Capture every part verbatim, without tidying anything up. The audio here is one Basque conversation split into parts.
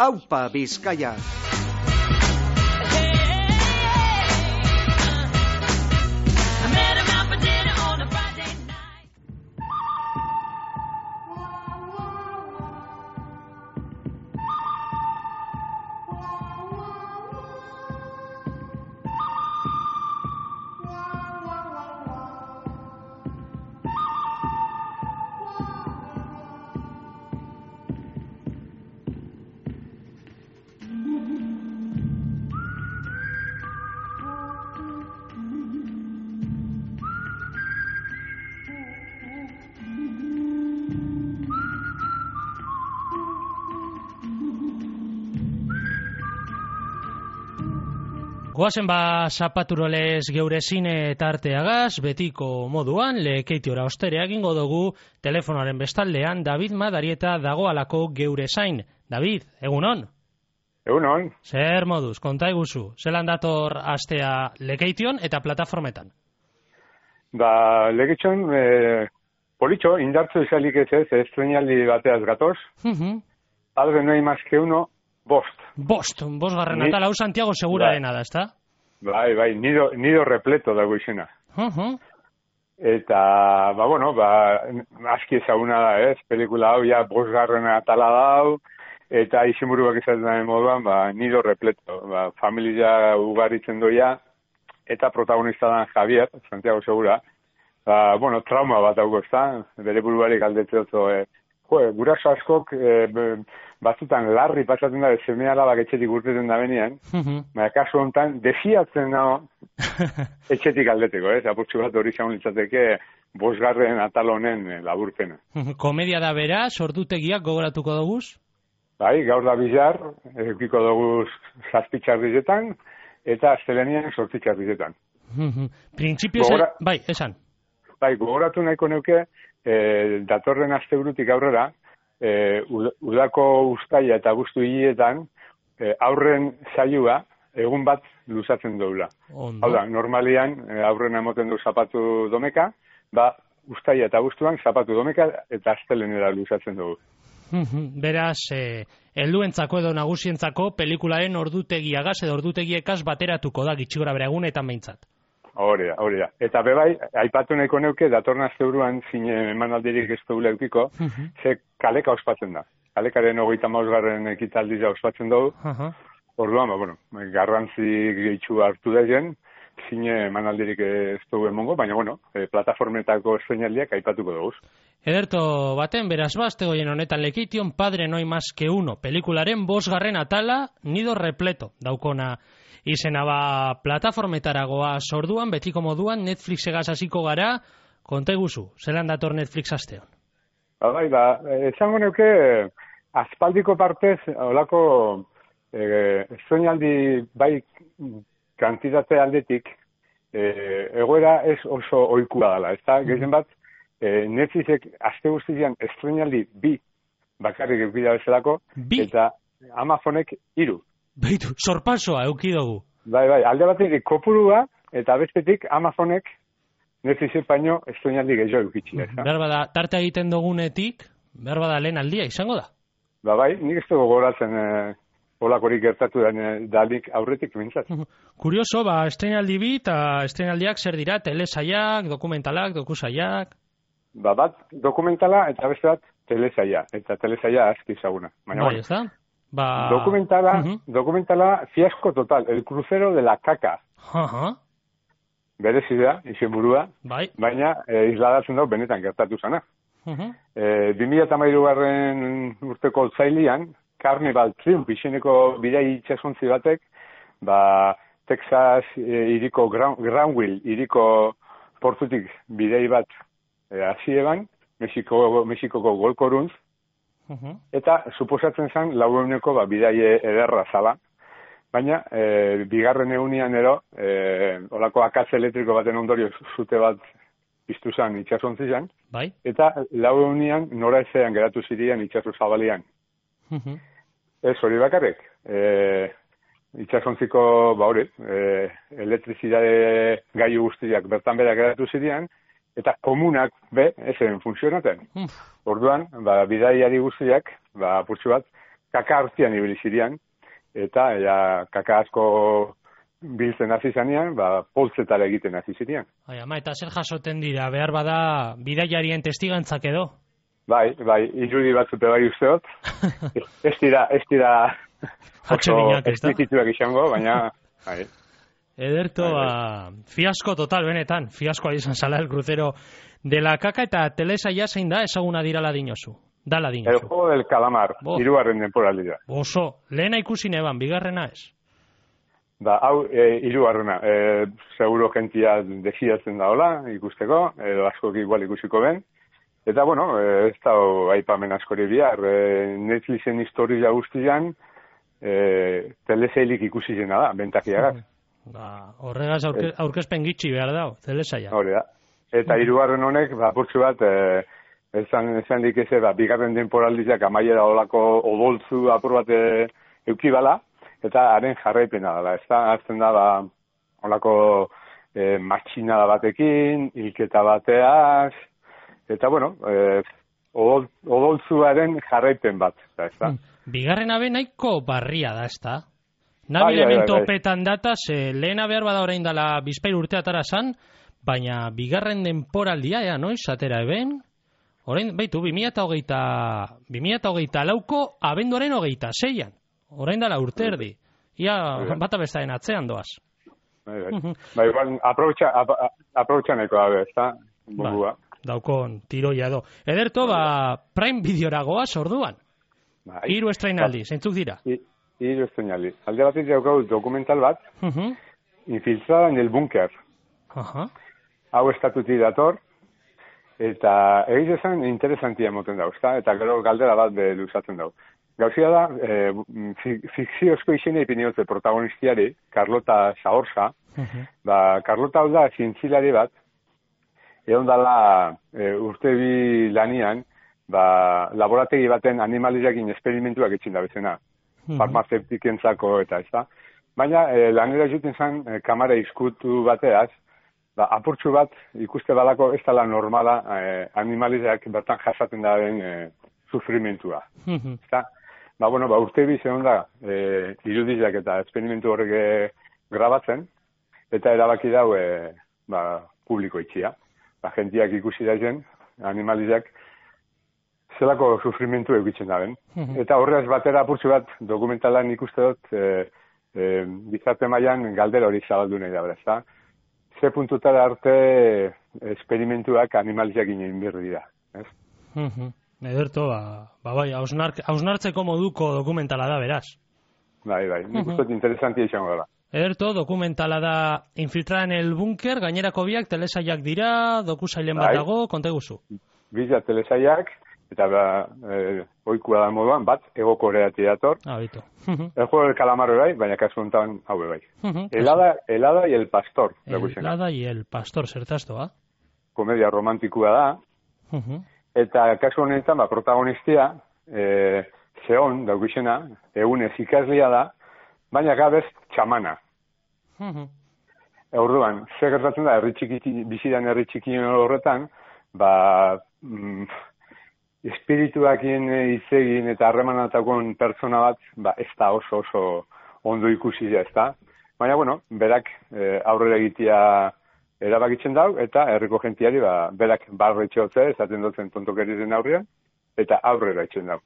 Aupa Bizkaia. Goazen ba zapaturolez geure zine tarteagaz, betiko moduan, lekeitiora ostere egingo dugu telefonoaren bestaldean David Madarieta dagoalako geure zain. David, egunon? Egunon. Zer moduz, konta eguzu, zelan dator astea lekeition eta plataformetan? Ba, lekeition, e, politxo, indartzu izalik ez ez, estrenaldi bateaz gatoz. Uh-huh. Padre no hay más que uno, bost. Bost, bost garren atal, hau Santiago Segurarena da, ezta? Bai, bai, nido, nido repleto dago izena. Uh-huh. Eta, ba, bueno, ba, aski ezaguna da, ez, pelikula hau, ja, bost garren atala dau, eta izenburuak izaten den moduan, ba, nido repleto, ba, familia ugaritzen doia, eta protagonista dan Javier, Santiago Segura, ba, bueno, trauma bat dago, ezta, bere buruari galdetzen oso, e, jo, guraso askok, e, batzutan larri pasatzen da, seme alabak etxetik urteten da benean, uh-huh. Baina kasu honetan, desiatzen nago etxetik aldeteko, ez? Apurtxu bat hori zaun litzateke bosgarren atal honen laburpena. Komedia da bera, sordutegiak gogoratuko doguz? Bai, gaur da bizar, eukiko doguz zazpitxarrizetan, eta astelenian sortzitxarrizetan. Uh-huh. Printzipio Gogora... bai, esan. Bai, gogoratu nahiko neuke, eh, datorren asteburutik aurrera, E, udako uztaila eta guztu hiletan e, aurren saioa egun bat luzatzen doula. Hau da, normalian e, aurren emoten du zapatu domeka, ba, uztaila eta guztuan zapatu domeka eta astelenera luzatzen dugu. Beraz, eh, helduentzako edo nagusientzako pelikularen ordutegiagaz edo ordutegiekaz bateratuko da gitxigora bera egunetan behintzat. Hori da, hori da. Eta bebai, aipatu nahiko neuke, datorna zeuruan zine emanaldirik ez dugu leukiko, uh-huh. Ze kaleka ospatzen da. Kalekaren hogeita mausgarren ekitaldia ospatzen dugu. Uh-huh. Orduan, ba, bueno, garrantzi gehitxu hartu da jen, zine emanaldirik ez dugu emongo, baina, bueno, e, plataformetako estrenaldiak aipatuko dugu. Ederto baten, beraz bazte goien honetan lekeition Padre no hay más que uno, pelikularen bosgarren atala, nido repleto, daukona izena ba plataformetaragoa sorduan, betiko moduan, Netflixegaz hasiko gara, konta eguzu, zelan dator Netflix asteon? Ba, bai, ba, esango neuke, aspaldiko partez, holako, e, estrenaldi bai kantitate aldetik, e, egoera ez oso ohikua dela, ez da, gehien bat, e, Netflixek aste guztian estrenaldi bi bakarrik eukida bezalako, bi? Eta Amazonek hiru. Beitu, sorpasoa eukidogu. Bai, bai, alde batetik kopurua, eta bestetik Amazonek Netflixek baino estrenaldi gehiago eukitxia. Behar bada, tarte egiten dugunetik, behar bada lehen aldia izango da? Ba, bai, nik ez dugu goratzen e, olakorik gertatu da, dalik aurretik mintzat. Kurioso, ba, estrenaldi bi eta estrenaldiak zer dira, telesaiak, dokumentalak, dokusaiak? Ba, bat dokumentala eta beste bat telesaia, eta telesaia aski ezaguna. Baina, bai, ez da? Ba... Dokumentala, uh-huh. Dokumentala fiasko total, el crucero de la caca. Uh-huh. Berezidea, izen burua, bai. Baina e, isladatzen dago benetan gertatu zana. Uh-huh. E, bi mila hamairugarren urteko otsailean, Carnival Triumph izeneko bidai itxasontzi batek, ba, Texas e, iriko Granville iriko portutik bidai bat e, hasi eban, Mexiko, Mexikoko golkoruntz, uh-huh. Eta suposatzen zen laueuneko ba, bidai ederra zala, baina e, bigarren egunean ero, e, olako akatze elektriko baten ondorio zute bat piztu zen itxasontzi zen, bai. Eta laueunnean nora ezean geratu zirian itxaso zabalian. Uh-huh. Ez hori bakarrik, e, itxasontziko ba hori, e, elektrizidade gaiu guztiak bertan bera geratu zirian, eta komunak be, ezen funtzionaten. Uh. Orduan, ba, bidaiari guztiak, ba, purtsu bat, kaka hartzian ibili zirean, eta ja, kaka asko biltzen hasi zanean, ba, poltzetara egiten hasi zirean. Ai, ama, eta zer jasoten dira, behar bada bidaiarien testigantzak edo? Bai, bai, irudi batzute bai usteot. Ez dira, ez dira oso esplizituak izango, baina... Bai. Ederto, ba, fiasko total benetan, fiaskoa izan zala el crucero de la caca eta telesaia zein da ezaguna dirala dinozu. Dala dinozu. El juego del calamar, hirugarren temporaldia. Oso, lehena ikusi neban, bigarrena ez? Ba, hau, e, hirugarrena, e, seguro jentia desiatzen da hola, ikusteko, edo askok igual ikusiko ben. Eta, bueno, e, ez da aipamen askori bihar, e, Netflixen historia guztian, e, telesailik ikusi zena da, bentakiagaz. Ba, horregaz aurke, aurkezpen gitxi behar dao, telesaia. Hori da. Eta hirugarren honek, ba, purtsu bat, e, esan, esan dikeze, ba, bigarren temporaldiak amaiera olako odoltzu apur bat e, eukibala, eta haren jarraipena dela. Ez da, azten da, ba, olako e, matxinada batekin, hilketa bateaz, eta, bueno, e, odol, odoltzuaren jarraipen bat. Da, ez da. Bigarren abe nahiko barria da, ez da? Nabil hemen topetan dataz, eh, lehena behar bada orain dela bizpair urte atara zan, baina bigarren denporaldia, ea, noiz, atera eben, orain, baitu, bi mila hogeita lauko abenduaren hogeita zeian, orain dela urte erdi, ia bata bestaren atzean doaz. Bai, bai, bai, bai aproutxaneko dabe, ez da, bugua. Daukon, tiroia do. Ederto, ba, Prime Videoragoa sorduan, hiru estrainaldi, zeintzuk dira? Hiru estrainaldi. Alde batetik daukau dokumental bat, Infiltrada en el búnker. Hau estatuti dator, eta egiz esan interesantia moten dauz, eta gero galdera bat be luzatzen dau. Gauzia da, e, fikziozko izena ipiniote protagonistiari, Carlota Saorza, ba, Carlota hau da zientzilari bat, egon dala e, urte bi lanian, ba, laborategi baten animaliakin esperimentuak etxin da bezena, farmazeptikentzako eta ez da. Baina e, lanera juten zen e, kamara izkutu bateaz, ba, apurtxu bat ikuste balako ez dela normala e, animaliak bertan jasaten daren e, sufrimentua. Ezta? Ba, bueno, ba, urte bi zegoen da e, irudiak eta esperimentu horrek e, grabatzen, eta erabaki dau e, ba, publiko itxia. Ba, gentiak ikusi daien, animaliak zelako sufrimentu eukitzen daben. Eta horrez batera apurtxu bat dokumentalan ikuste dut e, e, bizarte mailan galdera hori zabaldu nahi da, ezta? Ze puntutara arte esperimentuak animaliak ginen birri dira, ez? Ederto, ba, ba bai, hausnartzeko moduko dokumentala da, beraz. Bai, bai, nik uste dut interesantia izango dela. Ederto, dokumentala da Infiltrada en el búnker, gainerako biak telesaiak dira, dokusailen bat dago, konta guzu. Biza telesaiak, eta ba, e, oikua da moduan, bat, ego koreati dator. Ah, bito. El juego del calamar bai, baina kasu honetan hau bai. Helada, helada y el pastor. Helada y el pastor, zertazto, ba? Komedia romantikua da. Eta kasu honetan, ba, protagonistia, e, zeon, daukizena, egunez ikaslia da, baina gabez txamana. Orduan, ze gertatzen da, herri txiki, bizidan herri txiki horretan, ba, mm, espirituakien izegin eta harremanatakoen pertsona bat, ba, ez da oso oso ondo ikusi da, ez da. Baina, bueno, berak e, aurrera egitea erabakitzen dau, eta herriko gentiari, ba, berak barre etxeotze, esaten dutzen tontokerizen aurrean, eta aurrera etxen dau.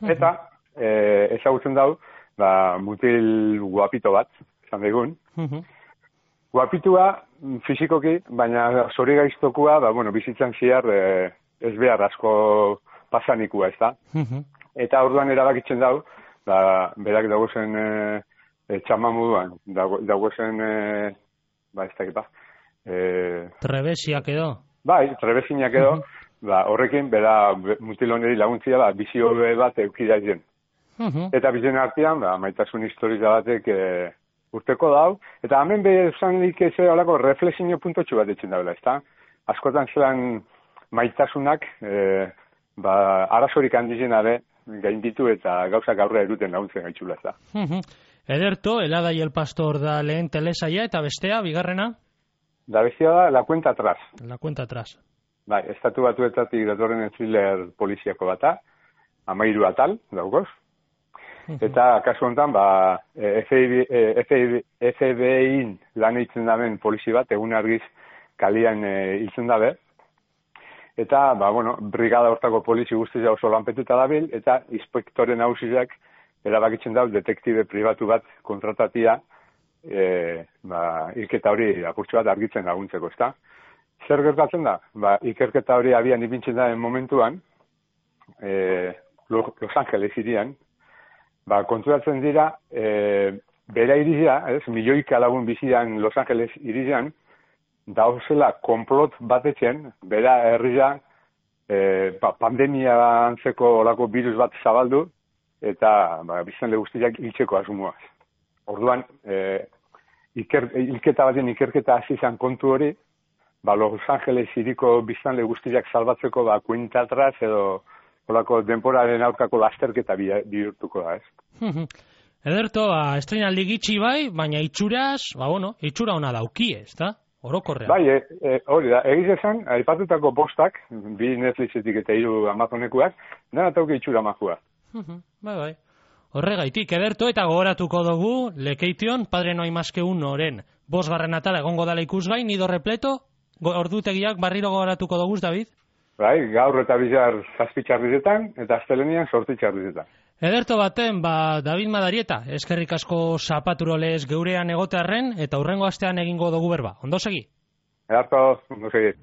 Eta, e, ezagutzen dau, ba, mutil guapito bat, esan daigun. Guapitua, fizikoki, baina zori gaiztokua, ba, bueno, bizitzan ziar, e, ez behar asko pasanikua, ez da? Eta orduan erabakitzen dau, ba, berak dagozen e, e, txaman moduan, dagozen, e, ba, ez dakit, ba. E, trebesiak edo? Bai, trebesiak edo, ba, horrekin, bera mutiloneri laguntzia, ba, bizio bat eukida zen. Eta bizen artean, ba, maitasun historiza batek e, urteko dau, eta hemen behar dik ez olako reflexio puntotxu bat etxen daula, ez da? Askotan zelan maitasunak, e, ba, arazorik handizena be, gainditu eta gauzak aurrera eruten laguntzen gaitxula, ez da. Ederto, Helada y el pastor da lehen telesaia, eta bestea, bigarrena? Da bestea da, La cuenta atrás. La cuenta atrás. Bai, estatu batuetatik datorren thriller poliziako bata, amairu atal, daugoz. Eta kasu honetan, ba, F B I-in lan eitzen daben polizi bat, egun argiz kalian hiltzen dabe. Eta, ba, bueno, brigada hortako polizi guztia oso lanpetuta dabil, eta inspektore nagusiak erabakitzen dau detektibe pribatu bat kontratatia, e, ba, ikerketa hori apurtxo bat argitzen laguntzeko, ezta? Zer gertatzen da? Ba, ikerketa hori abian ipintzen da momentuan, e, Los Angeles irian, ba, konturatzen dira, e, bera irizia, ez, milioika lagun bizian Los Angeles irian, dauzela konplot batetzen, bera herria e, ba, pandemia antzeko olako virus bat zabaldu, eta ba, biztanle guztiak hiltzeko asumuaz. Orduan, e, iker, ilketa baten ikerketa hasi izan kontu hori, ba, Los Angeles iriko biztanle guztiak salbatzeko ba, kuenta atraz edo olako denporaren aurkako lasterketa bihurtuko da, ez? Ederto, ba, estreinaldi gitxi bai, baina itxuraz, ba, bueno, itxura ona dauki, ez da? Orokorrean. Bai, e, e, hori da, egiz esan, aipatutako bostak, bi Netflixetik eta hiru Amazonekuak, dena tauke itxura majua. Bai, bai. Horregaitik, ederto eta gogoratuko dugu, Lekeition, Padre no hay más que uno oren, bosgarren atala egongo dala ikusgai, Nido repleto, ordutegiak barriro gogoratuko dugu, David? Bai, gaur eta bizar zazpitxarrizetan, eta astelenian sortitxarrizetan. Ederto baten, ba, David Madarieta, eskerrik asko zapaturolez geurean egotearren, eta hurrengo astean egingo dugu berba. Ondo segi? Ederto, ondo segi.